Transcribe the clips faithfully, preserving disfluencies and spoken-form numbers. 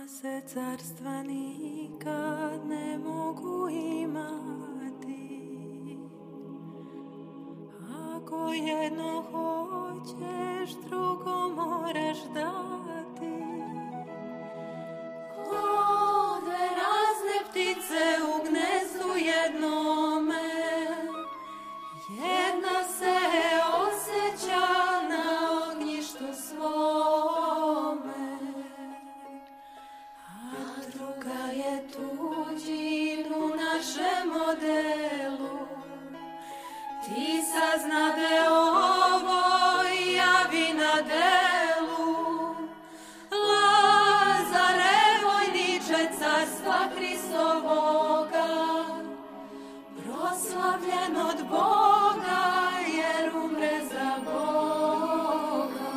se carstva nikad ne mogu imati. Ako jedno hoćeš, drugo moraš dati. Ode razne ptice u gnezdu jednome, jedna se osjeća na ognjištu svome, a druga je tuđin u našem modelu. Ti saznade ovo i javi na delu. Lazare, vojniče carstva Hristovoga, proslavljen od Boga jer umre za Boga.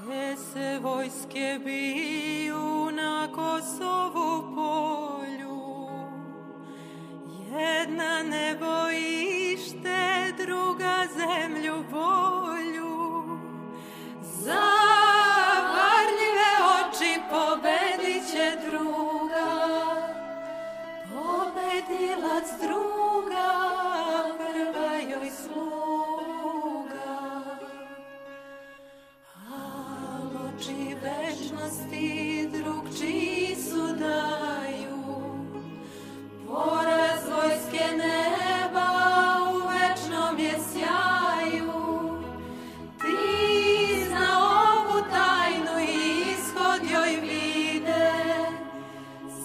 Dve se vojske biju na Kosovu polju, jedna nebo ište, druga zemlju bolju. Zavarljive oči pobedit će druga, pobedilac druga, prva joj sluga. Al oči večnosti drugčiji su daju, poraz vojske neba u večnom je sjaju. Ti zna ovu tajnu i ishod joj vide,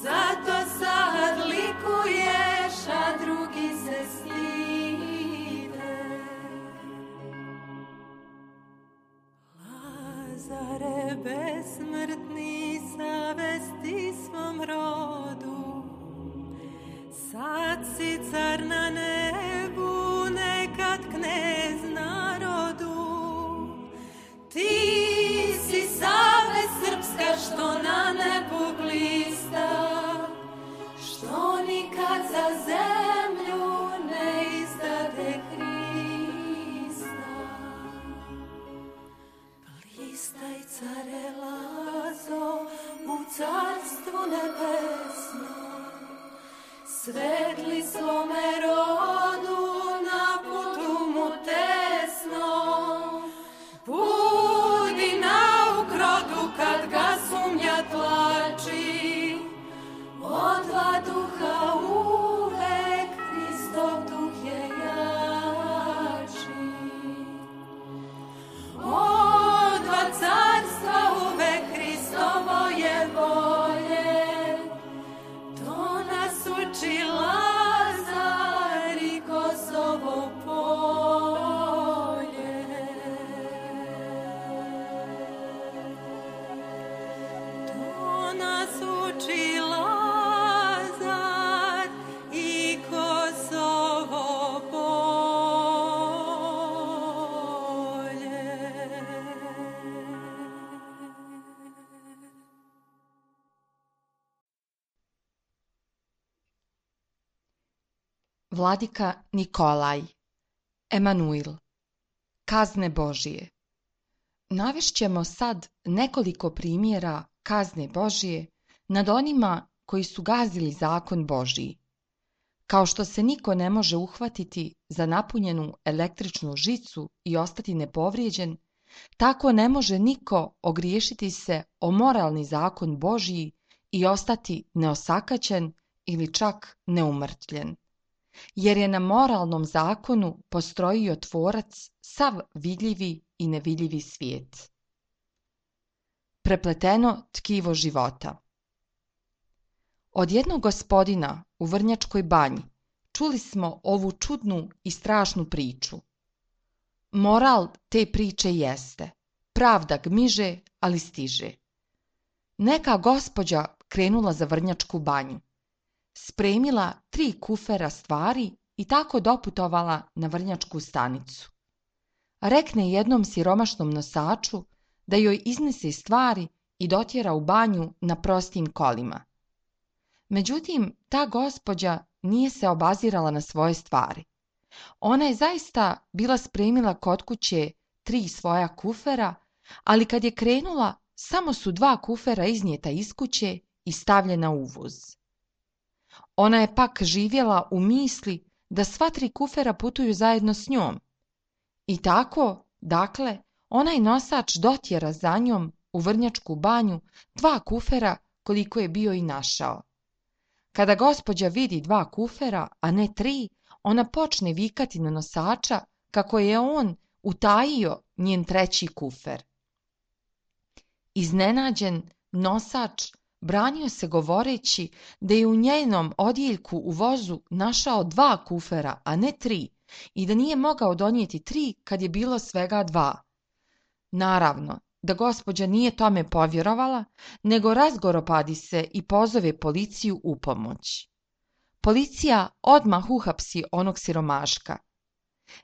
zato sad likuješ, a drugi se stide. Lazare besmrtni, savesti svom rodu, sad si car na nebu, nekad knez narodu. Ti si savest srpska što na nebu blista, što nikad za zemlju ne izdade Hrista. Blistaj, care Lazo, u carstvu nebesnom, svetli svome rodu na putu mu tesnom. Budi nauk rodu kad ga sumnja tlači, od dva duha uvek Hristov duh je jači. Od dva carstva uvek Hristovo je volje, to nas uči Lazar i Kosovo polje. To nas uči Lazar i Kosovo polje. Vladika Nikolaj, Emanuil, kazne Božije. Navešćemo sad nekoliko primjera kazne Božije nad onima koji su gazili zakon Božiji. Kao što se niko ne može uhvatiti za napunjenu električnu žicu i ostati nepovrijeđen, tako ne može niko ogriješiti se o moralni zakon Božiji i ostati neosakaćen ili čak neumrtvljen. Jer je na moralnom zakonu postrojio Tvorac sav vidljivi i nevidljivi svijet. Prepleteno tkivo života. Od jednog gospodina u Vrnjačkoj banji čuli smo ovu čudnu i strašnu priču. Moral te priče jeste: pravda gmiže, ali stiže. Neka gospođa krenula za Vrnjačku banju, spremila tri kufera stvari i tako doputovala na Vrnjačku stanicu. Rekne jednom siromašnom nosaču da joj iznese stvari i dotjera u banju na prostim kolima. Međutim, ta gospođa nije se obazirala na svoje stvari. Ona je zaista bila spremila kod kuće tri svoja kufera, ali kad je krenula samo su dva kufera iznijeta iz kuće i stavljena u voz. Ona je pak živjela u misli da sva tri kufera putuju zajedno s njom. I tako, dakle, onaj nosač dotjera za njom u Vrnjačku banju dva kufera koliko je bio i našao. Kada gospođa vidi dva kufera, a ne tri, ona počne vikati na nosača kako je on utajio njen treći kufer. Iznenađen, nosač branio se govoreći da je u njenom odjeljku u vozu našao dva kufera, a ne tri, i da nije mogao donijeti tri kad je bilo svega dva. Naravno, da gospođa nije tome povjerovala, nego razgoropadi se i pozove policiju u pomoć. Policija odmah uhapsi onog siromaška.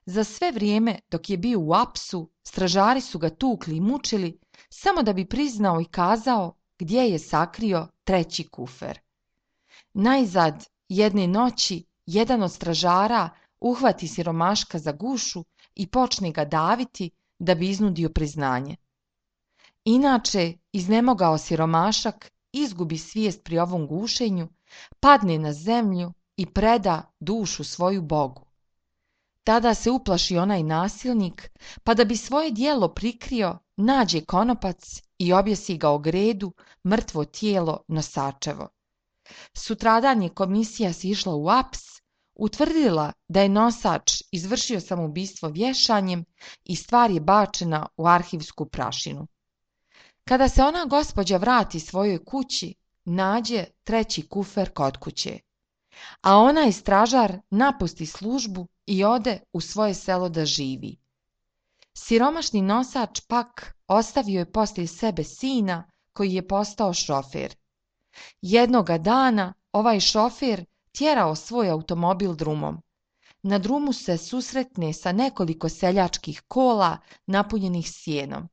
Za sve vrijeme dok je bio u apsu, stražari su ga tukli i mučili samo da bi priznao i kazao gdje je sakrio treći kufer. Najzad jedne noći jedan od stražara uhvati siromaška za gušu i počne ga daviti da bi iznudio priznanje. Inače, iznemogao siromašak izgubi svijest pri ovom gušenju, padne na zemlju i preda dušu svoju Bogu. Tada se uplaši onaj nasilnik, pa da bi svoje djelo prikrio, nađe konopac i objesi ga o gredu, mrtvo tijelo nosačevo. Sutradan je komisija sišla u aps, utvrdila da je nosač izvršio samoubistvo vješanjem i stvar je bačena u arhivsku prašinu. Kada se ona gospođa vrati svojoj kući, nađe treći kufer kod kuće, a onaj stražar napusti službu i ode u svoje selo da živi. Siromašni nosač pak ostavio je poslije sebe sina koji je postao šofer. Jednoga dana ovaj šofer tjerao svoj automobil drumom. Na drumu se susretne sa nekoliko seljačkih kola napunjenih sjenom.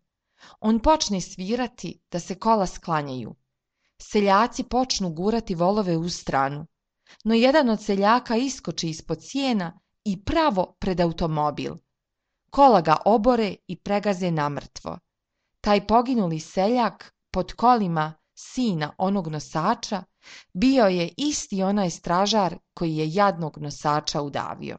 On počne svirati da se kola sklanjaju. Seljaci počnu gurati volove u stranu, no jedan od seljaka iskoči ispod sjena i pravo pred automobil. Kola ga obore i pregaze namrtvo. Taj poginuli seljak pod kolima sina onog nosača bio je isti onaj stražar koji je jadnog nosača udavio.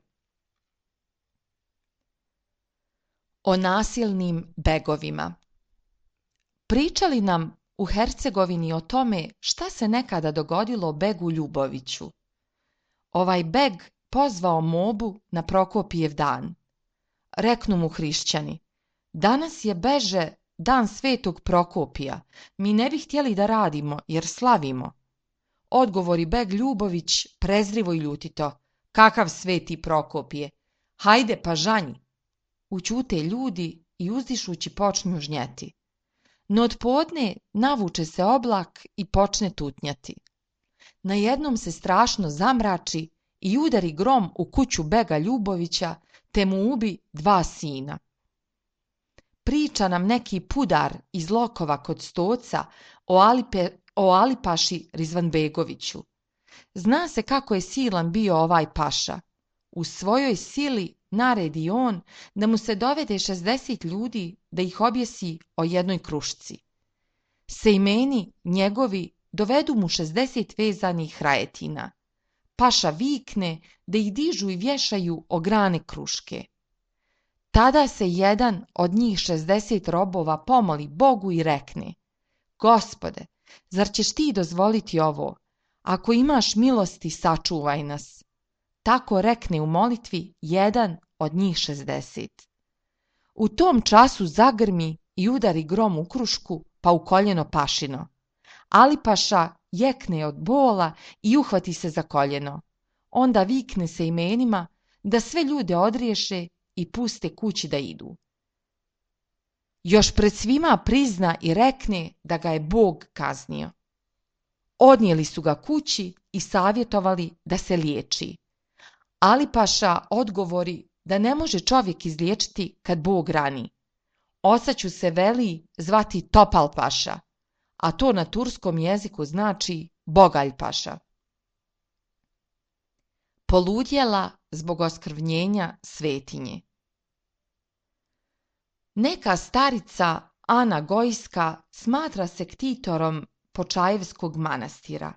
O nasilnim begovima. Pričali nam u Hercegovini o tome šta se nekada dogodilo begu Ljuboviću. Ovaj beg pozvao mobu na Prokopijev dan. Reknu mu hrišćani: danas je beže dan svetog Prokopija, mi ne bi htjeli da radimo jer slavimo. Odgovori beg Ljubović prezrivo i ljutito: kakav sveti Prokopije, hajde pa žanji. Ućute ljudi i uzdišući počnu žnjeti. No od podne navuče se oblak i počne tutnjati. Najednom se strašno zamrači i udari grom u kuću bega Ljubovića, te mu ubi dva sina. Priča nam neki pudar iz Lokova kod Stoca o, Alipe, o Alipaši Rizvanbegoviću. Zna se kako je silan bio ovaj paša. U svojoj sili naredi on da mu se dovede šezdeset ljudi da ih objesi o jednoj krušci. Sejmeni njegovi dovedu mu šezdeset vezanih rajetina. Paša vikne da ih dižu i vješaju o grane kruške. Tada se jedan od njih šezdeset robova pomoli Bogu i rekne: Gospode, zar ćeš ti dozvoliti ovo? Ako imaš milosti, sačuvaj nas. Tako rekne u molitvi jedan od njih šezdeset. U tom času zagrmi i udari grom u krušku, pa u koljeno pašino. Alipaša jekne od bola i uhvati se za koljeno. Onda vikne se imenima da sve ljude odriješe i puste kući da idu. Još pred svima prizna i rekne da ga je Bog kaznio. Odnijeli su ga kući i savjetovali da se liječi. Alipaša odgovori da ne može čovjek izliječiti kad Bog rani. Osaću se veli zvati Topalpaša, a to na turskom jeziku znači Bogaljpaša. Poludjela zbog oskrvnjenja svetinje. Neka starica Ana Gojska smatra se ktitorom Počajevskog manastira.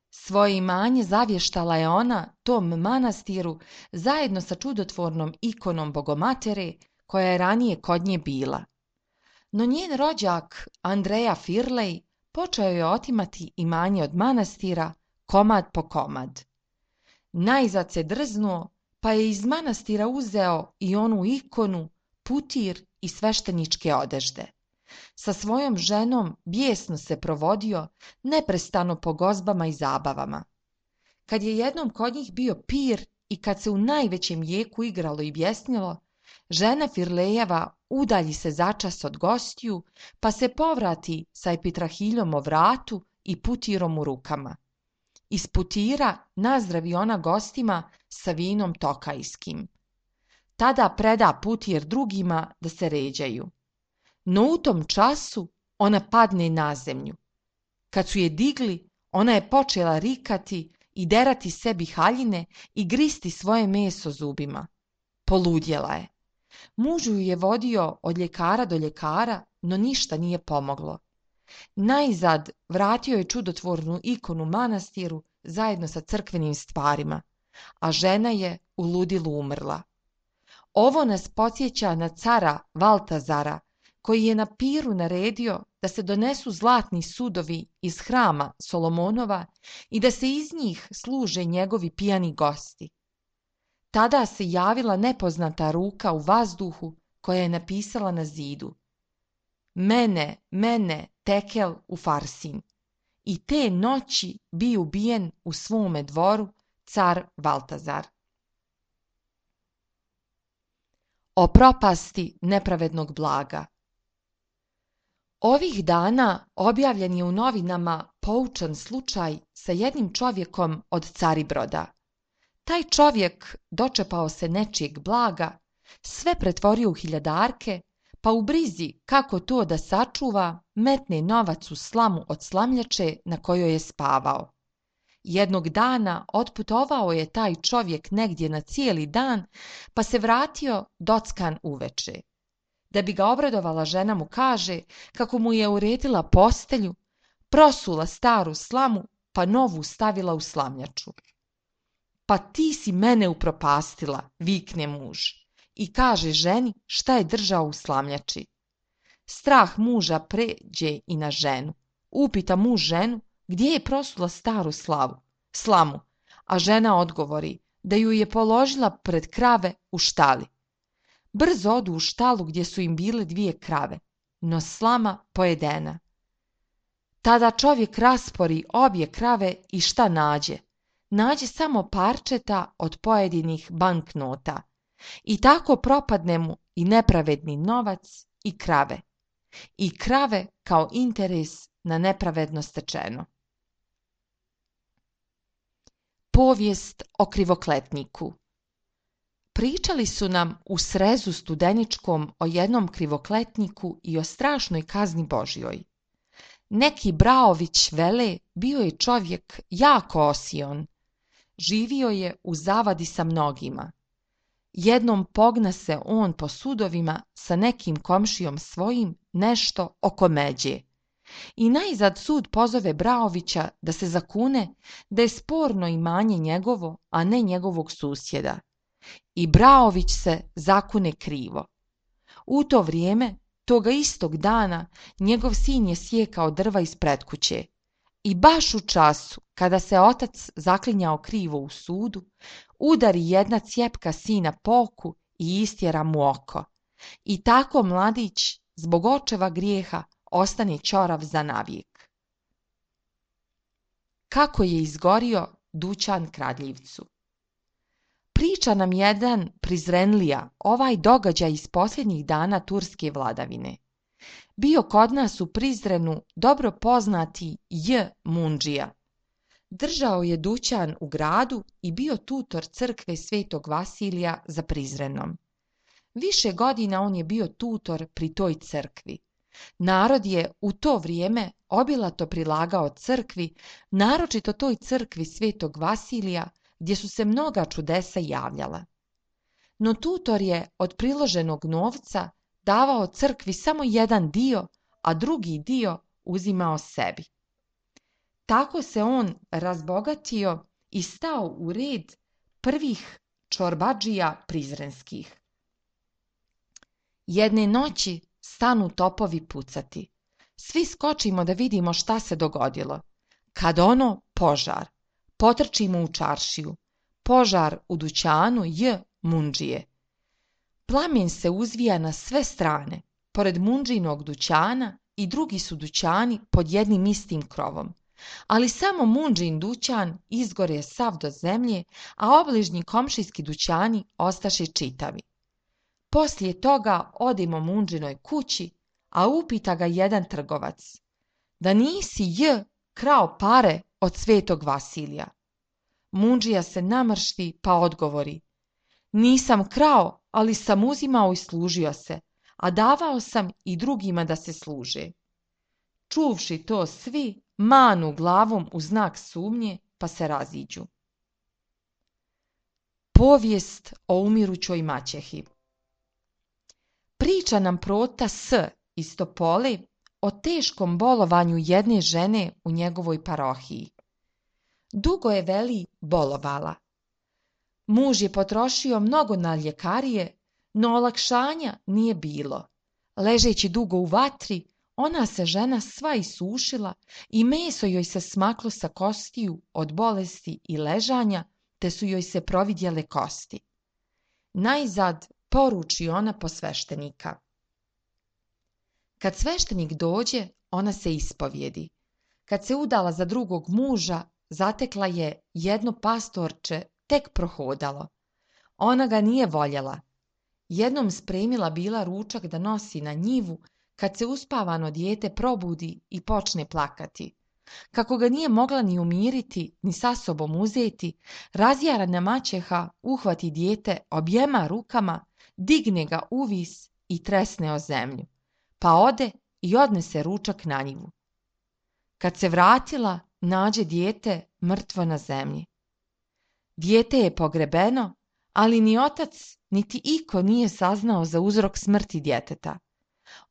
Svoje imanje zavještala je ona tom manastiru zajedno sa čudotvornom ikonom Bogomatere koja je ranije kod nje bila. No njen rođak Andreja Firlej počeo je otimati imanje od manastira komad po komad. Najzad se drznuo pa je iz manastira uzeo i onu ikonu, putir i svešteničke odežde. Sa svojom ženom bijesno se provodio, neprestano po gozbama i zabavama. Kad je jednom kod njih bio pir i kad se u najvećem jeku igralo i bjesnilo, žena Firlejeva udalji se začas od gostiju, pa se povrati sa epitrahiljom o vratu i putirom u rukama. Iz putira nazdravi ona gostima sa vinom tokajskim. Tada preda putir drugima da se ređaju. No u tom času ona padne na zemlju. Kad su je digli, ona je počela rikati i derati sebi haljine i gristi svoje meso zubima. Poludjela je. Muž ju je vodio od ljekara do ljekara, no ništa nije pomoglo. Najzad vratio je čudotvornu ikonu manastiru zajedno sa crkvenim stvarima, a žena je u ludilu umrla. Ovo nas podsjeća na cara Valtazara, koji je na piru naredio da se donesu zlatni sudovi iz hrama Solomonova i da se iz njih služe njegovi pijani gosti. Tada se javila nepoznata ruka u vazduhu koja je napisala na zidu: Mene, mene, tekel u Farsin. I te noći bi ubijen u svome dvoru car Valtazar. O propasti nepravednog blaga. Ovih dana objavljen je u novinama poučan slučaj sa jednim čovjekom od Caribroda. Taj čovjek dočepao se nečijeg blaga, sve pretvorio u hiljadarke, pa u brizi kako to da sačuva, metne novac u slamu od slamljače na kojoj je spavao. Jednog dana otputovao je taj čovjek negdje na cijeli dan, pa se vratio dockan uveče. Da bi ga obradovala, žena mu kaže kako mu je uredila postelju, prosula staru slamu, pa novu stavila u slamljaču. Pa ti si mene upropastila, vikne muž, i kaže ženi šta je držao u slamljači. Strah muža pređe i na ženu. Upita muž ženu gdje je prosula staru slavu, slamu, a žena odgovori da ju je položila pred krave u štali. Brzo odu u štalu gdje su im bile dvije krave, no slama pojedena. Tada čovjek raspori obje krave i šta nađe? Nađe samo parčeta od pojedinih banknota. I tako propadne mu i nepravedni novac i krave. I krave kao interes na nepravedno stečeno. Povijest o krivokletniku. Pričali su nam u srezu studeničkom o jednom krivokletniku i o strašnoj kazni Božjoj. Neki Braović vele bio je čovjek jako osion. Živio je u zavadi sa mnogima. Jednom pogna se on po sudovima sa nekim komšijom svojim nešto oko međe. I najzad sud pozove Braovića da se zakune da je sporno imanje njegovo, a ne njegovog susjeda. I Braović se zakune krivo. U to vrijeme, toga istog dana, njegov sin je sjekao drva ispred kuće. I baš u času, kada se otac zaklinjao krivo u sudu, udari jedna cjepka sina po oku i istjera mu oko. I tako mladić, zbog očeva grijeha, ostane ćorav za navijek. Kako je izgorio dućan kradljivcu. Priča nam jedan prizrenlija ovaj događaj iz posljednjih dana turske vladavine. Bio kod nas u Prizrenu dobro poznati J. Mundžija. Držao je dućan u gradu i bio tutor crkve Svetog Vasilija za Prizrenom. Više godina on je bio tutor pri toj crkvi. Narod je u to vrijeme obilato prilagao crkvi, naročito toj crkvi Svetog Vasilija, gdje su se mnoga čudesa javljala. No tutor je od priloženog novca davao crkvi samo jedan dio, a drugi dio uzimao sebi. Tako se on razbogatio i stao u red prvih čorbadžija prizrenskih. Jedne noći stanu topovi pucati. Svi skočimo da vidimo šta se dogodilo. Kad ono, požar. Potrčimo u čaršiju. Požar u dućanu J. Mundžije. Plamen se uzvija na sve strane, pored Mundžinog dućana i drugi su dućani pod jednim istim krovom. Ali samo Mundžin dućan izgore sav do zemlje, a obližnji komšijski dućani ostaše čitavi. Poslije toga odemo Mundžinoj kući, a upita ga jedan trgovac: da nisi J. krao pare od svetog Vasilija? Mundžija se namršti pa odgovori: nisam krao, ali sam uzimao i služio se, a davao sam i drugima da se služe. Čuvši to svi, manu glavom u znak sumnje pa se raziđu. Povijest o umirućoj maćehi. Priča nam prota S. iz Topole o teškom bolovanju jedne žene u njegovoj parohiji. Dugo je, veli, bolovala. Muž je potrošio mnogo na ljekarije, no olakšanja nije bilo. Ležeći dugo u vatri, ona se žena sva isušila i meso joj se smaklo sa kostiju od bolesti i ležanja, te su joj se providjele kosti. Najzad poruči ona po sveštenika. Kad sveštenik dođe, ona se ispovjedi. Kad se udala za drugog muža, zatekla je jedno pastorče tek prohodalo. Ona ga nije voljela. Jednom spremila bila ručak da nosi na njivu, kad se uspavano dijete probudi i počne plakati. Kako ga nije mogla ni umiriti, ni sa sobom uzeti, razjarana maćeha uhvati dijete objema rukama, digne ga uvis i tresne o zemlju, pa ode i odnese ručak na njivu. Kad se vratila, nađe dijete mrtvo na zemlji. Dijete je pogrebeno, ali ni otac, niti iko nije saznao za uzrok smrti djeteta.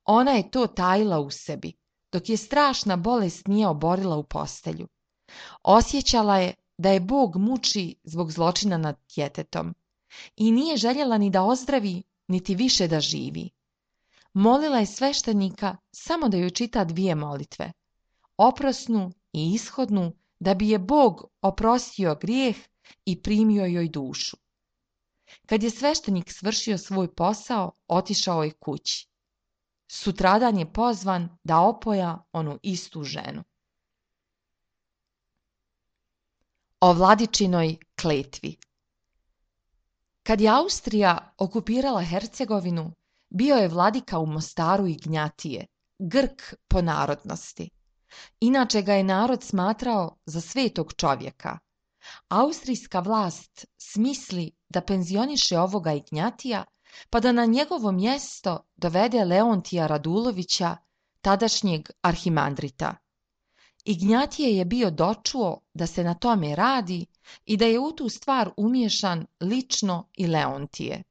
Ona je to tajila u sebi, dok je strašna bolest nije oborila u postelju. Osjećala je da je Bog muči zbog zločina nad djetetom i nije željela ni da ozdravi, niti više da živi. Molila je sveštenika samo da joj čita dvije molitve, oprosnu i ishodnu, da bi je Bog oprostio grijeh i primio joj dušu. Kad je sveštenik svršio svoj posao, otišao je kući. Sutradan je pozvan da opoja onu istu ženu. O Vladičinoj kletvi. Kad je Austrija okupirala Hercegovinu, bio je vladika u Mostaru Ignjatije, Grk po narodnosti. Inače ga je narod smatrao za svetog čovjeka. Austrijska vlast smisli da penzioniše ovoga Ignjatija, pa da na njegovo mjesto dovede Leontija Radulovića, tadašnjeg arhimandrita. Ignjatije je bio dočuo da se na tome radi i da je u tu stvar umiješan lično i Leontije.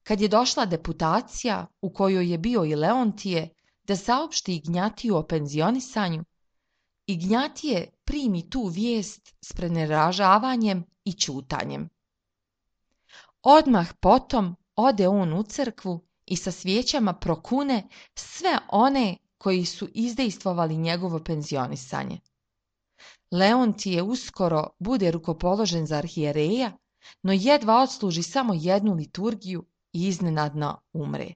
Kad je došla deputacija u kojoj je bio i Leontije da saopšti Ignjatiju o penzionisanju, Ignjatije primi tu vijest s preneražavanjem i ćutanjem. Odmah potom ode on u crkvu i sa svijećama prokune sve one koji su izdejstvovali njegovo penzionisanje. Leontije uskoro bude rukopoložen za arhijereja, no jedva odsluži samo jednu liturgiju i iznenadno umre.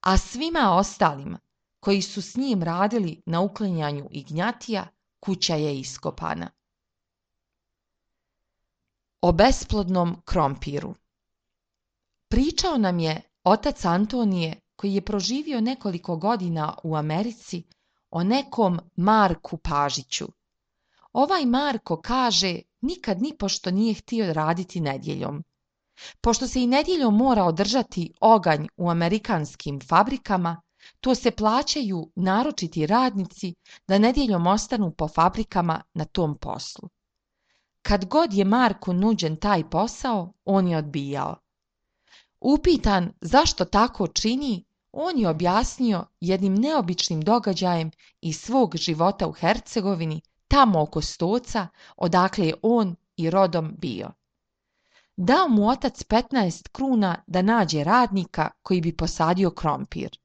A svima ostalima koji su s njim radili na uklanjanju Ignjatija, kuća je iskopana. O besplodnom krompiru. Pričao nam je otac Antonije, koji je proživio nekoliko godina u Americi, o nekom Marku Pažiću. Ovaj Marko, kaže, nikad nipošto nije htio raditi nedjeljom. Pošto se i nedjeljom mora održati oganj u amerikanskim fabrikama, to se plaćaju naročiti radnici da nedjeljom ostanu po fabrikama na tom poslu. Kad god je Marku nuđen taj posao, on je odbijao. Upitan zašto tako čini, on je objasnio jednim neobičnim događajem iz svog života u Hercegovini, tamo oko Stoca, odakle je on i rodom bio. Dao mu otac petnaest kruna da nađe radnika koji bi posadio krompir.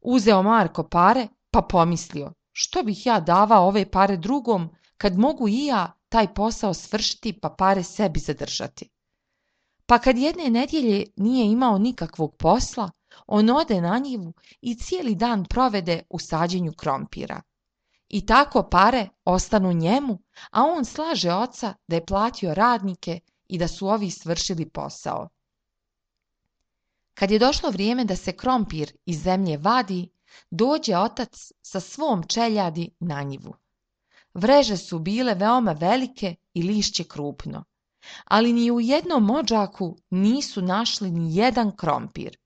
Uzeo Marko pare, pa pomislio, što bih ja davao ove pare drugom, kad mogu i ja taj posao svršiti pa pare sebi zadržati. Pa kad jedne nedjelje nije imao nikakvog posla, on ode na njivu i cijeli dan provede u sađenju krompira. I tako pare ostanu njemu, a on slaže oca da je platio radnike i da su ovi svršili posao. Kad je došlo vrijeme da se krompir iz zemlje vadi, dođe otac sa svom čeljadi na njivu. Vreže su bile veoma velike i lišće krupno, ali ni u jednom odžaku nisu našli ni jedan krompir.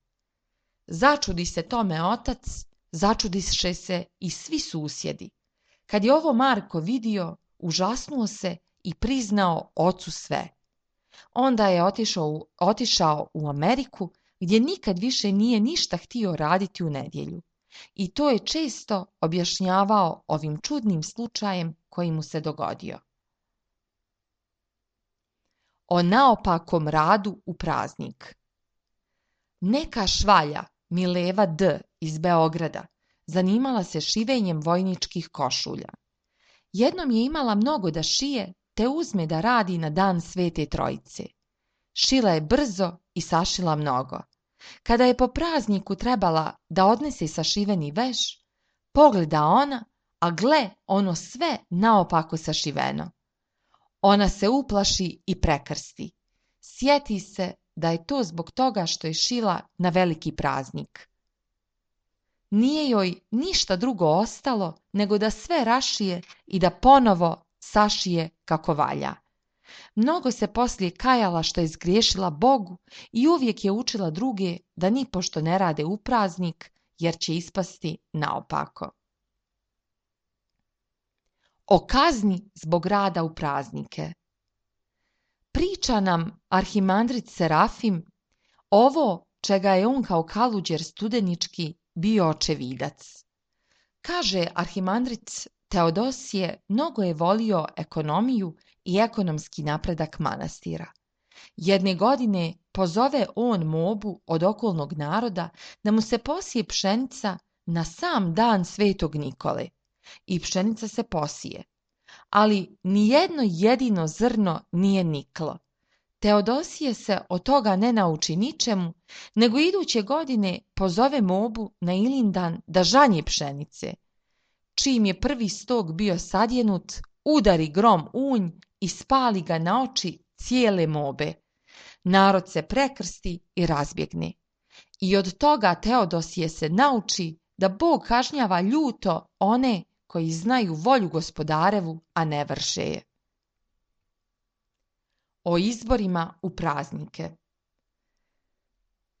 Začudi se tome otac, začudiše se i svi susjedi. Kad je ovo Marko vidio, užasnuo se i priznao ocu sve. Onda je otišao u, otišao u Ameriku, gdje nikad više nije ništa htio raditi u nedjelju. I to je često objašnjavao ovim čudnim slučajem koji mu se dogodio. O naopakom radu u praznik. Neka švalja Mileva D. iz Beograda zanimala se šivenjem vojničkih košulja. Jednom je imala mnogo da šije, te uzme da radi na dan Svete Trojice. Šila je brzo i sašila mnogo. Kada je po prazniku trebala da odnese sašiveni veš, pogleda ona, a gle, ono sve naopako sašiveno. Ona se uplaši i prekrsti. Sjeti se da je to zbog toga što je šila na veliki praznik. Nije joj ništa drugo ostalo nego da sve rašije i da ponovo sašije kako valja. Mnogo se poslije kajala što je zgriješila Bogu i uvijek je učila druge da nipošto ne rade u praznik, jer će ispasti naopako. O kazni zbog rada u praznike. Priča nam arhimandrit Serafim ovo čega je on kao kaluđer studenički bio očevidac. Kaže arhimandrit Teodosije mnogo je volio ekonomiju i ekonomski napredak manastira. Jedne godine pozove on mobu od okolnog naroda da mu se posije pšenica na sam dan Svetog Nikole. I pšenica se posije, ali nijedno jedino zrno nije niklo. Teodosije se od toga ne nauči ničemu, nego iduće godine pozove mobu na Ilindan da žanje pšenice. Čim je prvi stog bio sadjenut, udari grom unj i spali ga na oči cijele mobe. Narod se prekrsti i razbjegne. I od toga Teodosije se nauči da Bog kažnjava ljuto one koji znaju volju gospodarevu, a ne vrše je. O izborima u praznike.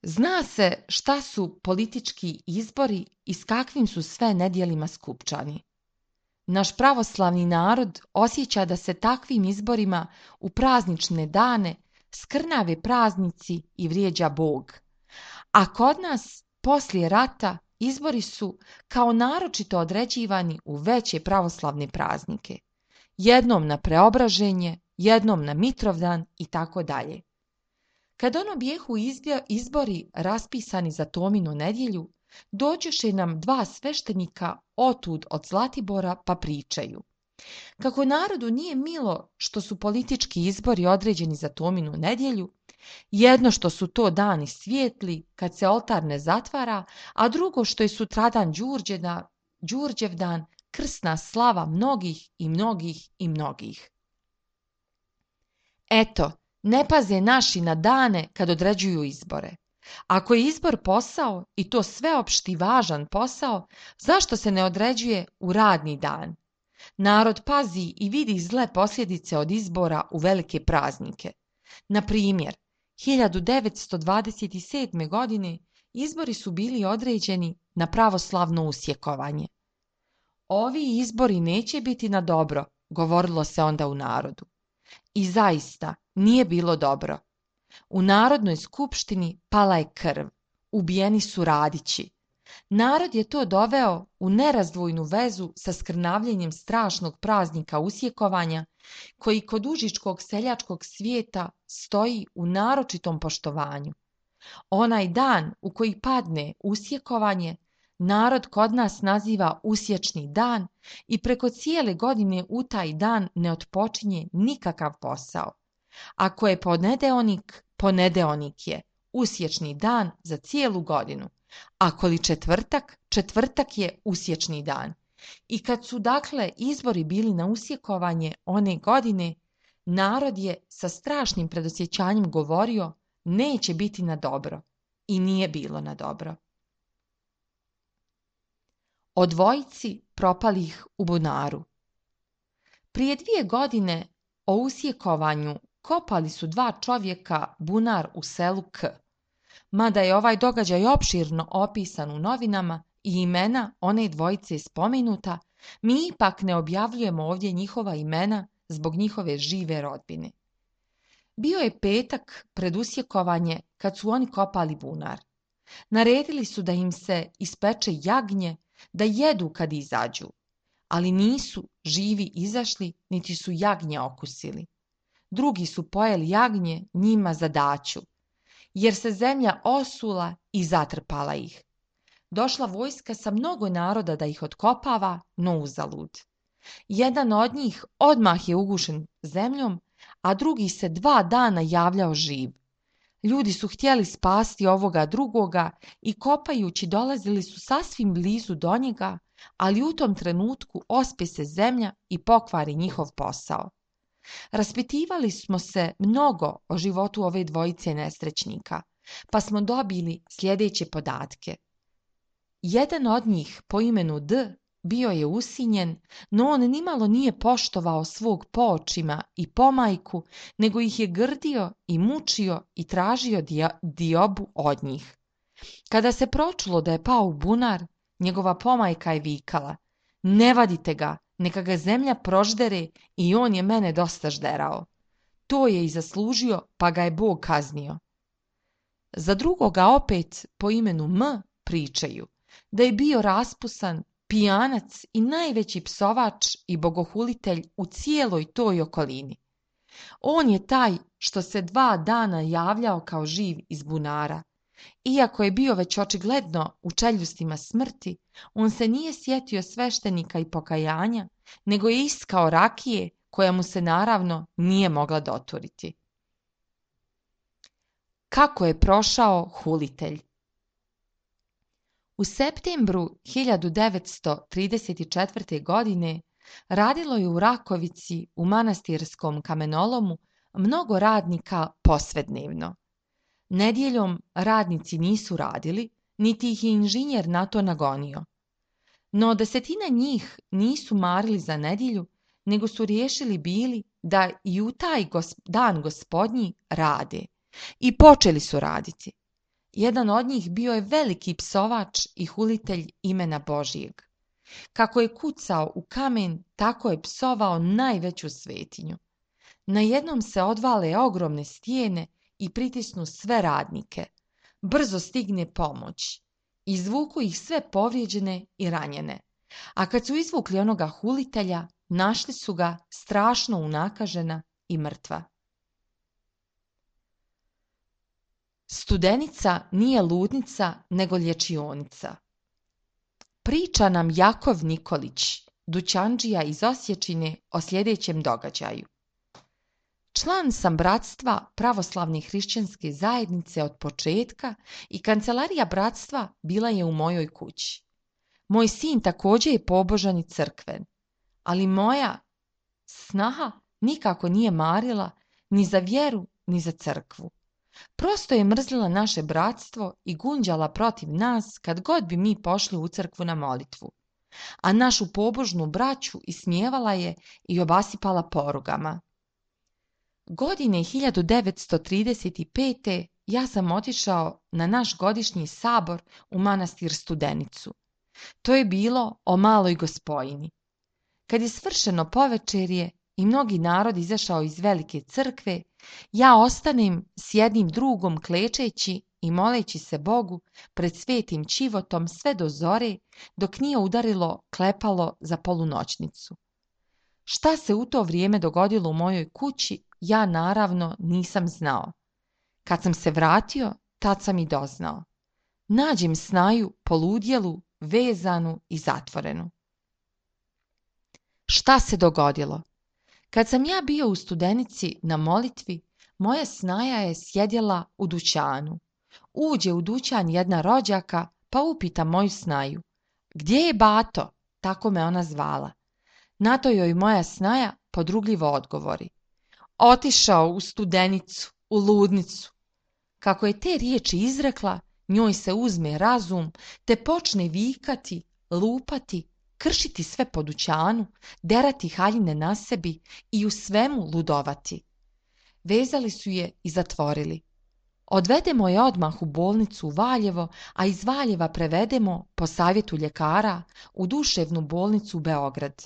Zna se šta su politički izbori i s kakvim su sve nedjelima skupčani. Naš pravoslavni narod osjeća da se takvim izborima u praznične dane skrnave praznici i vrijeđa Bog. A kod nas, poslije rata, izbori su kao naročito određivani u veće pravoslavne praznike. Jednom na Preobraženje, jednom na Mitrovdan i tako dalje. Kad ono bijehu izbori raspisani za Tominu nedjelju, dođoše nam dva sveštenika otud od Zlatibora pa pričaju. Kako narodu nije milo što su politički izbori određeni za Tominu nedjelju, jedno što su to dani svijetli kad se oltar ne zatvara, a drugo što je sutradan Đurđevdan, Đurđevdan, krsna slava mnogih i mnogih i mnogih. Eto, ne paze naši na dane kad određuju izbore. Ako je izbor posao i to sveopšti važan posao, zašto se ne određuje u radni dan? Narod pazi i vidi zle posljedice od izbora u velike praznike. Na primjer, hiljadu devetsto dvadeset sedme. godine izbori su bili određeni na pravoslavno usjekovanje. Ovi izbori neće biti na dobro, govorilo se onda u narodu. I zaista nije bilo dobro. U Narodnoj skupštini pala je krv, ubijeni su Radići, Narod je to doveo u nerazdvojnu vezu sa skrnavljenjem strašnog praznika usjekovanja, koji kod užičkog seljačkog svijeta stoji u naročitom poštovanju. Onaj dan u koji padne usjekovanje, narod kod nas naziva usječni dan i preko cijele godine u taj dan ne otpočinje nikakav posao. Ako je ponedeonik, ponedeonik je, usječni dan za cijelu godinu. Ako li četvrtak, četvrtak je usječni dan. I kad su dakle izbori bili na usjekovanje one godine, narod je sa strašnim predosjećanjem govorio neće biti na dobro. I nije bilo na dobro. O dvojici propalih u bunaru. Prije dvije godine o usjekovanju kopali su dva čovjeka bunar u selu K. Mada je ovaj događaj opširno opisan u novinama i imena one dvojice spomenuta, mi ipak ne objavljujemo ovdje njihova imena zbog njihove žive rodbine. Bio je petak pred usjekovanje kad su oni kopali bunar. Naredili su da im se ispeče jagnje da jedu kad izađu, ali nisu živi izašli niti su jagnje okusili. Drugi su pojeli jagnje njima za daću, jer se zemlja osula i zatrpala ih. Došla vojska sa mnogo naroda da ih otkopava, no uzalud. Jedan od njih odmah je ugušen zemljom, a drugi se dva dana javljao živ. Ljudi su htjeli spasti ovoga drugoga i kopajući dolazili su sasvim blizu do njega, ali u tom trenutku ospe se zemlja i pokvari njihov posao. Raspitivali smo se mnogo o životu ove dvojice nesrećnika, pa smo dobili sljedeće podatke. Jedan od njih po imenu D bio je usinjen, no on nimalo nije poštovao svog poočima i pomajku, nego ih je grdio i mučio i tražio dio- diobu od njih. Kada se pročulo da je pao u bunar, njegova pomajka je vikala: ne vadite ga, neka ga zemlja proždere i on je mene dosta žderao. To je i zaslužio, pa ga je Bog kaznio. Za drugoga opet po imenu M pričaju da je bio raspusan, pijanac i najveći psovač i bogohulitelj u cijeloj toj okolini. On je taj što se dva dana javljao kao živ iz bunara. Iako je bio već očigledno u čeljustima smrti, on se nije sjetio sveštenika i pokajanja, nego je iskao rakije koja mu se naravno nije mogla doturiti. Kako je prošao hulitelj? U septembru hiljadu devetsto trideset četvrte. godine radilo je u Rakovici u manastirskom kamenolomu mnogo radnika posvednevno. Nedjeljom radnici nisu radili, niti ih je inženjer na to nagonio. No desetina njih nisu marili za nedjelju, nego su riješili bili da i u taj gos- dan gospodnji rade. I počeli su raditi. Jedan od njih bio je veliki psovač i hulitelj imena Božijeg. Kako je kucao u kamen, tako je psovao najveću svetinju. Najednom se odvale ogromne stijene i pritisnu sve radnike. Brzo stigne pomoć. Izvuku ih sve povrijeđene i ranjene. A kad su izvukli onoga hulitelja, našli su ga strašno unakažena i mrtva. Studenica nije ludnica, nego lječionica. Priča nam Jakov Nikolić, dućandžija iz Osječine, o sljedećem događaju. Član sam bratstva pravoslavne hrišćanske zajednice od početka i kancelarija bratstva bila je u mojoj kući. Moj sin također je pobožan i crkven, ali moja snaha nikako nije marila ni za vjeru ni za crkvu. Prosto je mrzila naše bratstvo i gunđala protiv nas kad god bi mi pošli u crkvu na molitvu. A našu pobožnu braću ismijevala je i obasipala porugama. Godine hiljadu devetsto trideset pete. ja sam otišao na naš godišnji sabor u manastir Studenicu. To je bilo o maloj gospojini. Kad je svršeno povečerje i mnogi narod izašao iz velike crkve, ja ostanem s jednim drugom klečeći i moleći se Bogu pred svetim ćivotom sve do zore, dok nije udarilo klepalo za polunoćnicu. Šta se u to vrijeme dogodilo u mojoj kući, ja naravno nisam znao. Kad sam se vratio, tad sam i doznao. Nađem snaju poludjelu, vezanu i zatvorenu. Šta se dogodilo? Kad sam ja bio u Studenici na molitvi, moja snaja je sjedjela u dućanu. Uđe u dućan jedna rođaka, pa upita moju snaju: "Gdje je bato?" Tako me ona zvala. Na to joj moja snaja podrugljivo odgovori: "Otišao u Studenicu, u ludnicu." Kako je te riječi izrekla, njoj se uzme razum, te počne vikati, lupati, kršiti sve po dućanu, derati haljine na sebi i u svemu ludovati. Vezali su je i zatvorili. Odvedemo je odmah u bolnicu u Valjevo, a iz Valjeva prevedemo, po savjetu ljekara, u duševnu bolnicu u Beograd.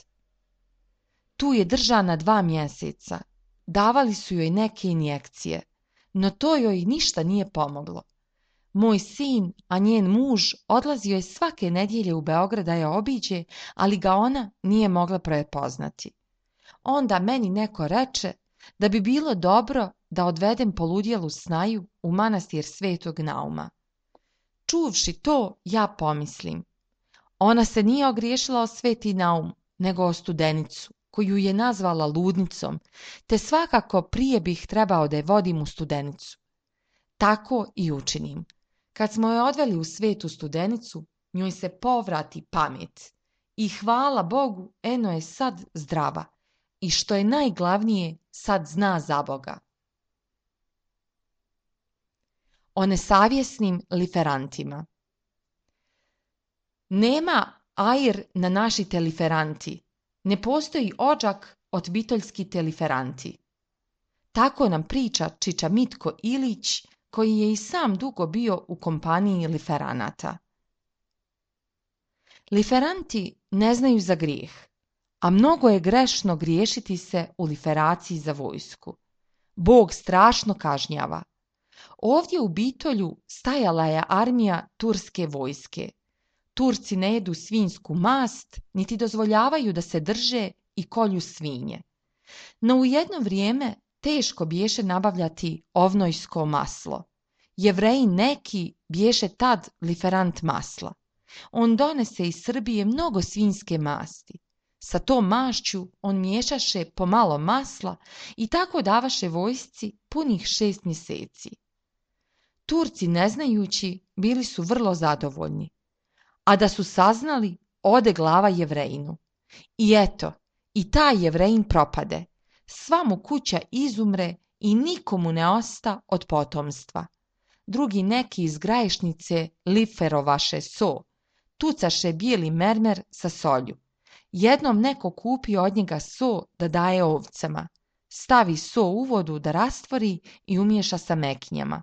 Tu je držana dva mjeseca. Davali su joj neke injekcije, no to joj ništa nije pomoglo. Moj sin, a njen muž, odlazio je svake nedjelje u Beograd da je obiđe, ali ga ona nije mogla prepoznati. Onda meni neko reče da bi bilo dobro da odvedem poludjelu snaju u manastir Svetog Nauma. Čuvši to, ja pomislim: ona se nije ogriješila o Sveti Naum, nego o Studenicu, koju je nazvala ludnicom, te svakako prije bih trebao da je vodim u Studenicu. Tako i učinim. Kad smo je odveli u Svetu Studenicu, njoj se povrati pamet. I hvala Bogu, eno je sad zdrava. I što je najglavnije, sad zna za Boga. O nesavjesnim liferantima. Nema ajr na našite liferanti. Ne postoji ođak od bitoljskite liferanti. Tako nam priča čiča Mitko Ilić, koji je i sam dugo bio u kompaniji liferanata. Liferanti ne znaju za grijeh, a mnogo je grešno griješiti se u liferaciji za vojsku. Bog strašno kažnjava. Ovdje u Bitolju stajala je armija turske vojske. Turci ne jedu svinjsku mast, niti dozvoljavaju da se drže i kolju svinje. No u jedno vrijeme teško biješe nabavljati ovnojsko maslo. Jevreji neki biješe tad liferant masla. On donese iz Srbije mnogo svinjske masti. Sa tom mašću on miješaše pomalo masla i tako davaše vojsci punih šest mjeseci. Turci, ne znajući, bili su vrlo zadovoljni. A da su saznali, ode glava Jevrejinu. I eto, i taj Jevrejin propade. Sva mu kuća izumre i nikomu ne osta od potomstva. Drugi neki iz Graješnice liferovaše so, tucaše bijeli mermer sa solju. Jednom neko kupi od njega so da daje ovcama. Stavi so u vodu da rastvori i umiješa sa mekinjama.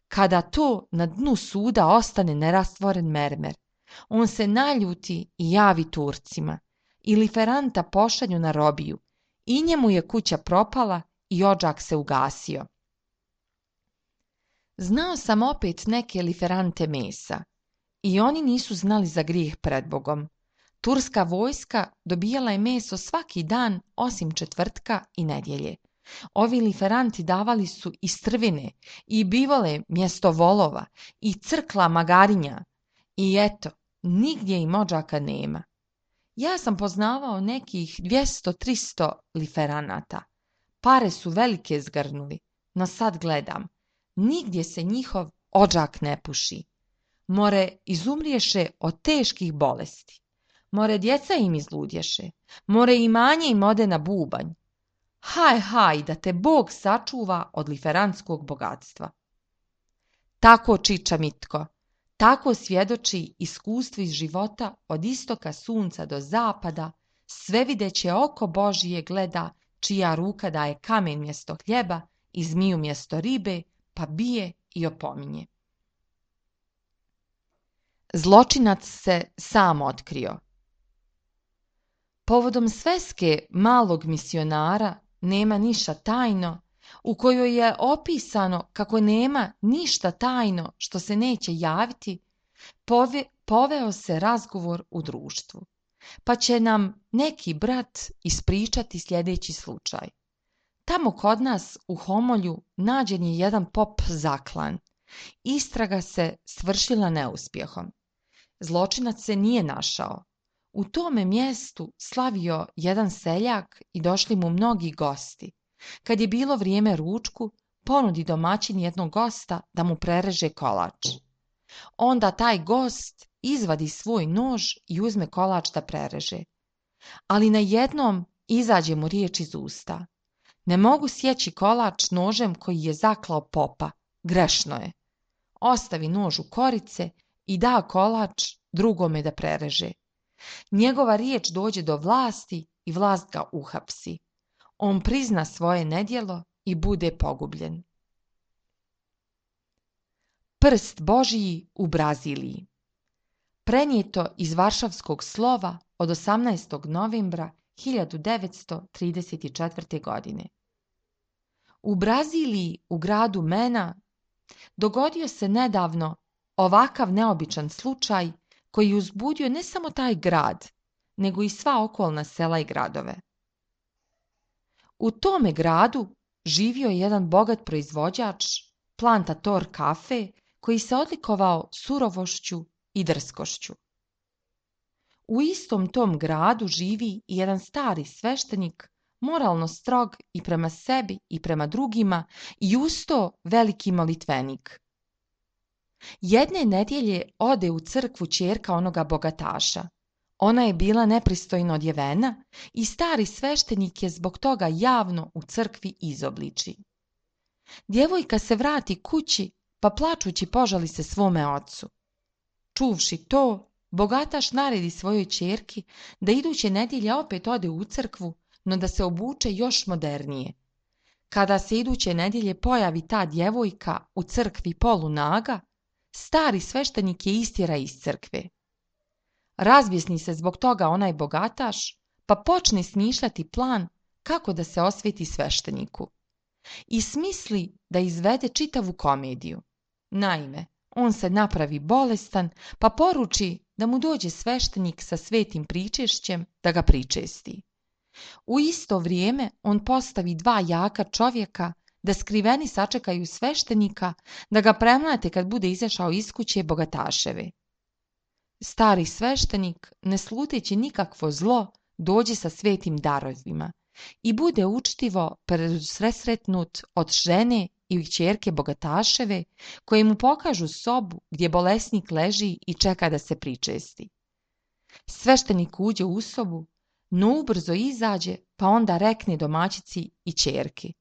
Kada to na dnu suda ostane nerastvoren mermer, on se naljuti i javi Turcima. I liferanta pošalju na robiju. I njemu je kuća propala i odžak se ugasio. Znao sam opet neke liferante mesa. I oni nisu znali za grijeh pred Bogom. Turska vojska dobijala je meso svaki dan osim četvrtka i nedjelje. Ovi liferanti davali su i strvine, i bivole mjesto volova, i crkla magarinja. I eto, nigdje im odžaka nema. Ja sam poznavao nekih dvjesto tristo liferanata. Pare su velike zgrnuli, no sad gledam. Nigdje se njihov odžak ne puši. More izumriješe od teških bolesti. More djeca im izludješe. More imanje im ode na bubanj. Haj, haj, da te Bog sačuva od liferantskog bogatstva. Tako čiča Mitko. Tako svjedoči iskustvo iz života od istoka sunca do zapada, svevideće oko Božije gleda, čija ruka daje kamen mjesto hljeba i zmiju mjesto ribe, pa bije i opominje. Zločinac se sam otkrio. Povodom sveske malog misionara nema niša tajno, u kojoj je opisano kako nema ništa tajno što se neće javiti, pove, poveo se razgovor u društvu. Pa će nam neki brat ispričati sljedeći slučaj. Tamo kod nas u Homolju nađen je jedan pop zaklan. Istraga se svršila neuspjehom. Zločinac se nije našao. U tome mjestu slavio jedan seljak i došli mu mnogi gosti. Kad je bilo vrijeme ručku, ponudi domaćin jednog gosta da mu prereže kolač. Onda taj gost izvadi svoj nož i uzme kolač da prereže. Ali najednom izađe mu riječ iz usta. Ne mogu sjeći kolač nožem koji je zaklao popa. Grešno je. Ostavi nož u korice i da kolač drugome da prereže. Njegova riječ dođe do vlasti i vlast ga uhapsi. On prizna svoje nedjelo i bude pogubljen. Prst Božji u Braziliji. Prenijeto iz Varšavskog slova od osamnaestog novembra hiljadu devetsto trideset četvrte. godine. U Braziliji, u gradu Mena, dogodio se nedavno ovakav neobičan slučaj koji uzbudio ne samo taj grad, nego i sva okolna sela i gradove. U tome gradu živio je jedan bogat proizvođač, plantator kafe, koji se odlikovao surovošću i drskošću. U istom tom gradu živi i jedan stari sveštenik, moralno strog i prema sebi i prema drugima i usto veliki molitvenik. Jedne nedjelje ode u crkvu ćerka onoga bogataša. Ona je bila nepristojno odjevena i stari sveštenik je zbog toga javno u crkvi izobliči. Djevojka se vrati kući pa plačući požali se svome ocu. Čuvši to, bogataš naredi svojoj ćerki da iduće nedjelje opet ode u crkvu, no da se obuče još modernije. Kada se iduće nedjelje pojavi ta djevojka u crkvi polunaga, stari sveštenik je istjera iz crkve. Razbjesni se zbog toga onaj bogataš, pa počne smišljati plan kako da se osveti svešteniku. I smisli da izvede čitavu komediju. Naime, on se napravi bolestan, pa poruči da mu dođe sveštenik sa svetim pričešćem da ga pričesti. U isto vrijeme on postavi dva jaka čovjeka da skriveni sačekaju sveštenika da ga premlate kad bude izašao iz kuće bogataševe. Stari sveštenik, ne sluteći nikakvo zlo, dođe sa svetim darovima i bude učtivo presretnut od žene i kćerke bogataševe, koje mu pokažu sobu gdje bolesnik leži i čeka da se pričesti. Sveštenik uđe u sobu, no ubrzo izađe, pa onda rekne domaćici i ćerki: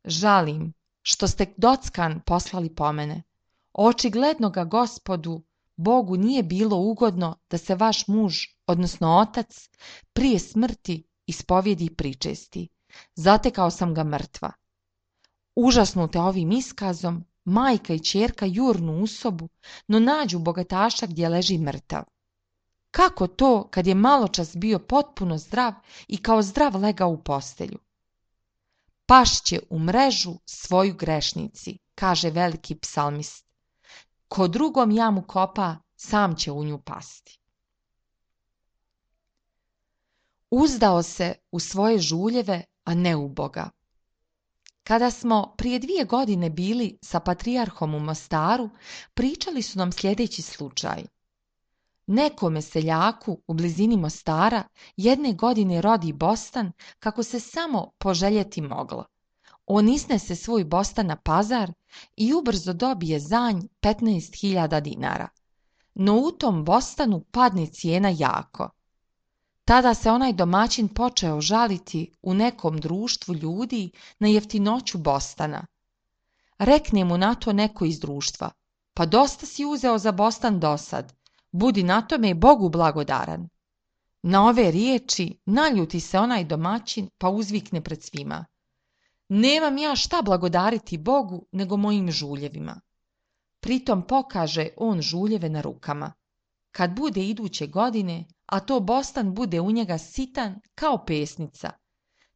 žalim što ste dockan poslali po mene. Očigledno ga Gospodu Bogu nije bilo ugodno da se vaš muž, odnosno otac, prije smrti ispovjedi i pričesti. Zatekao sam ga mrtva. Užasnute ovim iskazom, majka i ćerka jurnu u sobu, no nađu bogataša gdje leži mrtav. Kako to kad je maločas bio potpuno zdrav i kao zdrav legao u postelju? Pašće u mrežu svoju grešnici, kaže veliki psalmist. Ko drugom jamu kopa, sam će u nju pasti. Uzdao se u svoje žuljeve, a ne u Boga. Kada smo prije dvije godine bili sa patrijarhom u Mostaru, pričali su nam sljedeći slučaj. Nekome seljaku u blizini Mostara jedne godine rodi bostan kako se samo poželjeti moglo. On iznese svoj bostan na pazar i ubrzo dobije zanj petnaest hiljada dinara. No u tom bostanu padne cijena jako. Tada se onaj domaćin počeo žaliti u nekom društvu ljudi na jeftinoću bostana. Rekne mu na to neko iz društva: pa dosta si uzeo za bostan dosad, budi na tome Bogu blagodaran. Na ove riječi naljuti se onaj domaćin pa uzvikne pred svima: nemam ja šta blagodariti Bogu nego mojim žuljevima. Pritom pokaže on žuljeve na rukama. Kad bude iduće godine, a to bostan bude u njega sitan kao pesnica,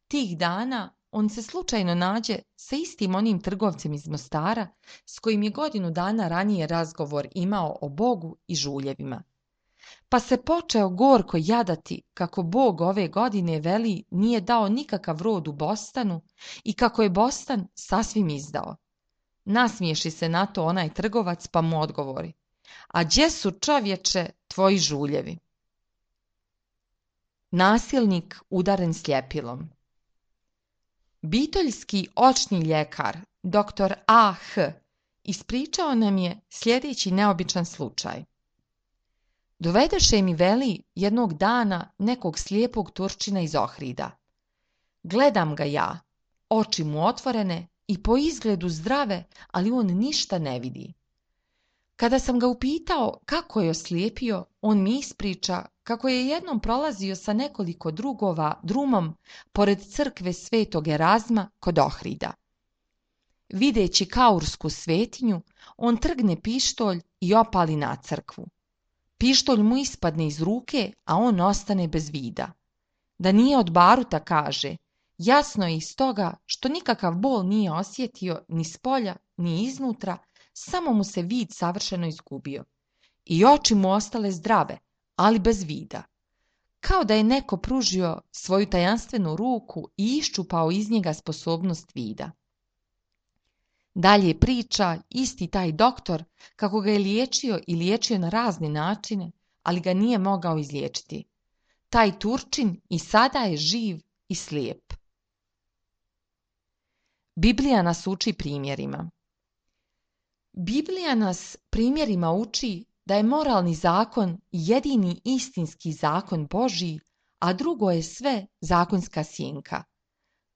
tih dana on se slučajno nađe sa istim onim trgovcem iz Mostara s kojim je godinu dana ranije razgovor imao o Bogu i žuljevima. Pa se počeo gorko jadati kako Bog ove godine veli nije dao nikakav rod u bostanu i kako je bostan sasvim izdao. Nasmiješi se na to onaj trgovac pa mu odgovori: a gdje su, čovječe, tvoji žuljevi? Nasilnik udaren sljepilom. Bitoljski očni ljekar, doktor A H, ispričao nam je sljedeći neobičan slučaj. Dovedeše mi, veli, jednog dana nekog slijepog Turčina iz Ohrida. Gledam ga ja, oči mu otvorene i po izgledu zdrave, ali on ništa ne vidi. Kada sam ga upitao kako je oslijepio, on mi ispriča kako je jednom prolazio sa nekoliko drugova drumom pored crkve Svetog Erazma kod Ohrida. Videći kaursku svetinju, on trgne pištolj i opali na crkvu. Pištolj mu ispadne iz ruke, a on ostane bez vida. Da nije od baruta, kaže, jasno je iz toga što nikakav bol nije osjetio ni spolja, ni iznutra, samo mu se vid savršeno izgubio. I oči mu ostale zdrave, ali bez vida. Kao da je neko pružio svoju tajanstvenu ruku i iščupao iz njega sposobnost vida. Dalje priča isti taj doktor kako ga je liječio i liječio na razne načine, ali ga nije mogao izliječiti. Taj Turčin i sada je živ i slijep. Biblija nas uči primjerima. Biblija nas primjerima uči da je moralni zakon jedini istinski zakon Božji, a drugo je sve zakonska sjenka.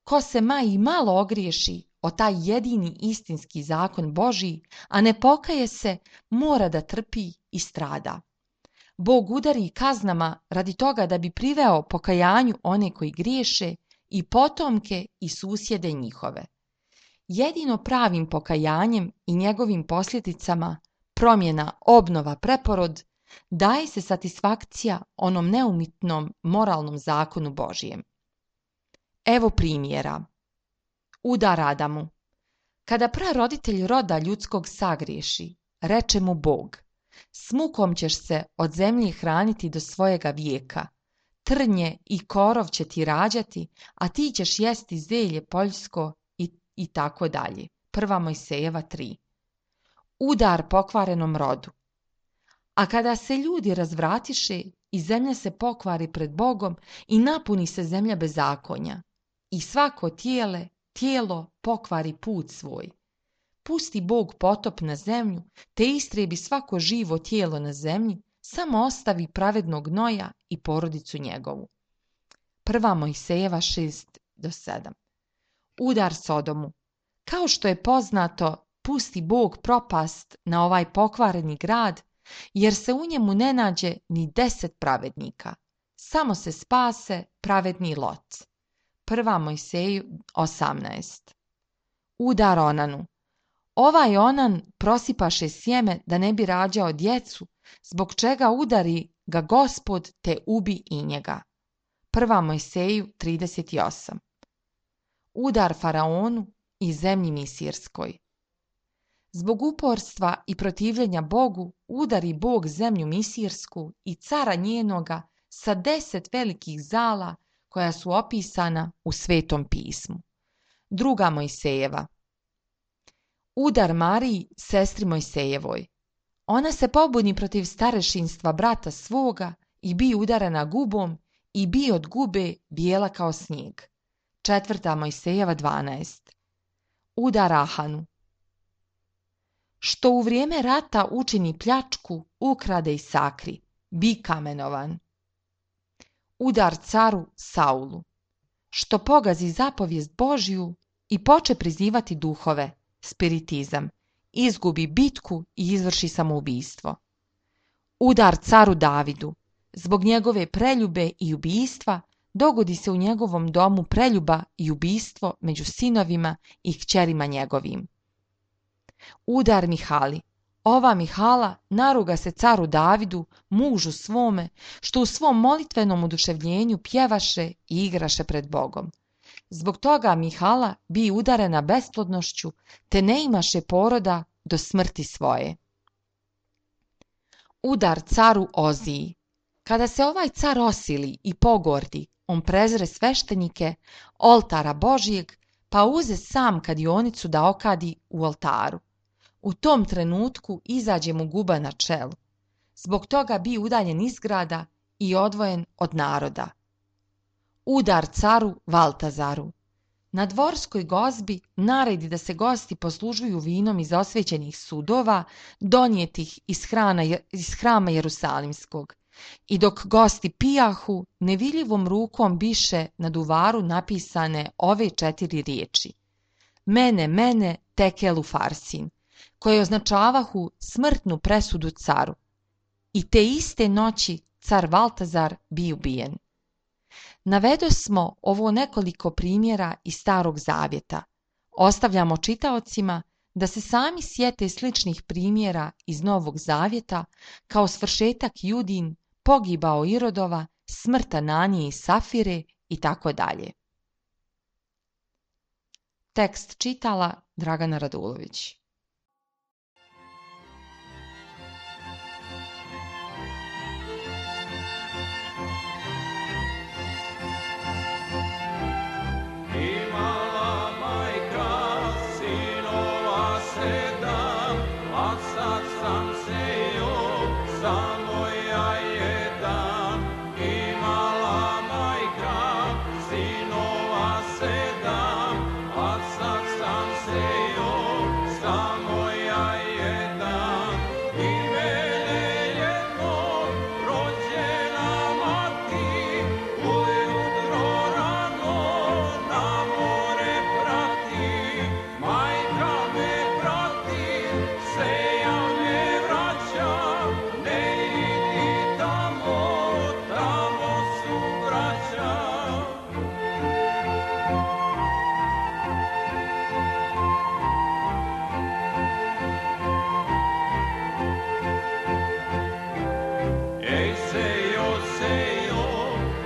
Ko se ma i malo ogriješi o taj jedini istinski zakon Božji, a ne pokaje se, mora da trpi i strada. Bog udari kaznama radi toga da bi priveo pokajanju one koji griješe i potomke i susjede njihove. Jedino pravim pokajanjem i njegovim posljedicama, promjena, obnova, preporod, daje se satisfakcija onom neumitnom moralnom zakonu Božjem. Evo primjera. Udar Adamu. Kada praroditelj roda ljudskog sagriješi, reče mu Bog: s mukom ćeš se od zemlje hraniti do svojega vijeka, trnje i korov će ti rađati, a ti ćeš jesti zelje poljsko i, i tako dalje. Prva Mojsejeva tri. Udar pokvarenom rodu. A kada se ljudi razvratiše i zemlja se pokvari pred Bogom i napuni se zemlja bezakonja, i svako tijele, tijelo pokvari put svoj. Pusti Bog potop na zemlju, te istrebi svako živo tijelo na zemlji, samo ostavi pravednog Noja i porodicu njegovu. Prva Mojsejeva šest do sedam. Udar Sodomu. Kao što je poznato, pusti Bog propast na ovaj pokvareni grad, jer se u njemu ne nađe ni deset pravednika. Samo se spase pravedni Lot. Prva Mojseju osamnaest. Udar Onanu. Ovaj Onan prosipaše sjeme da ne bi rađao djecu, zbog čega udari ga Gospod te ubi i njega. Prva Mojseju trideset osam. Udar Faraonu i zemlji Misirskoj. Zbog uporstva i protivljenja Bogu udari Bog zemlju Misirsku i cara njenoga sa deset velikih zala koja su opisana u Svetom pismu. Druga Mojsejeva. Udar Mariji, sestri Mojsejevoj. Ona se pobuni protiv starešinstva brata svoga i bi udarana gubom i bi od gube bijela kao snijeg. Četvrta Mojsejeva dvanaest. Udar Ahanu. Što u vrijeme rata učini pljačku, ukrade i sakri, bi kamenovan. Udar caru Saulu. Što pogazi zapovijest Božju i poče prizivati duhove, spiritizam, izgubi bitku i izvrši samoubistvo. Udar caru Davidu. Zbog njegove preljube i ubijstva dogodi se u njegovom domu preljuba i ubijstvo među sinovima i kćerima njegovim. Udar Mihali. Ova Mihala naruga se caru Davidu, mužu svome, što u svom molitvenom oduševljenju pjevaše i igraše pred Bogom. Zbog toga Mihala bi udarena besplodnošću, te ne imaše poroda do smrti svoje. Udar caru Oziji. Kada se ovaj car osili i pogordi, on prezre sveštenike oltara Božijeg, pa uze sam kadionicu da okadi u oltaru. U tom trenutku izađe mu guba na čelu. Zbog toga bi udaljen iz grada i odvojen od naroda. Udar caru Valtazaru. Na dvorskoj gozbi naredi da se gosti poslužuju vinom iz osvećenih sudova, donijetih iz, hrana, iz hrama Jerusalimskog. I dok gosti pijahu, nevidljivom rukom biše na duvaru napisane ove četiri riječi: Mene, mene, tekelu farsin, koje označavahu smrtnu presudu caru. I te iste noći car Valtazar bi ubijen. Navedosmo ovo nekoliko primjera iz Starog Zavjeta. Ostavljamo čitaocima da se sami sjete sličnih primjera iz Novog Zavjeta, kao svršetak Judin, pogibao Irodova, smrt Ananije i Safire i tako dalje. Tekst čitala Dragana Radulović.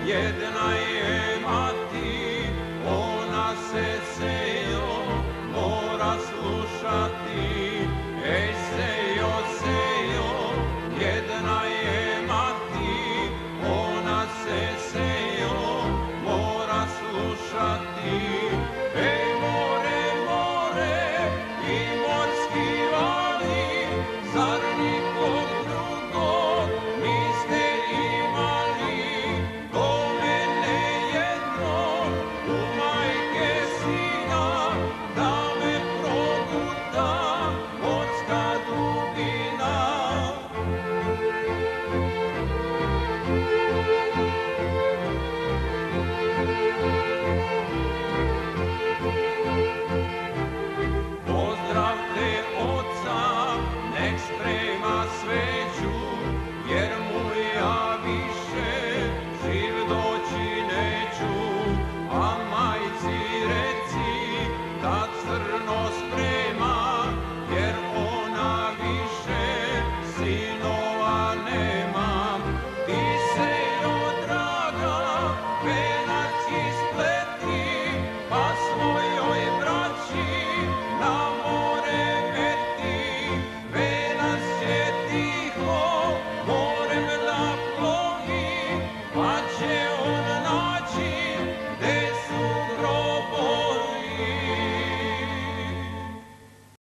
Jedna je mati, ona se sejo mora slušati, ej se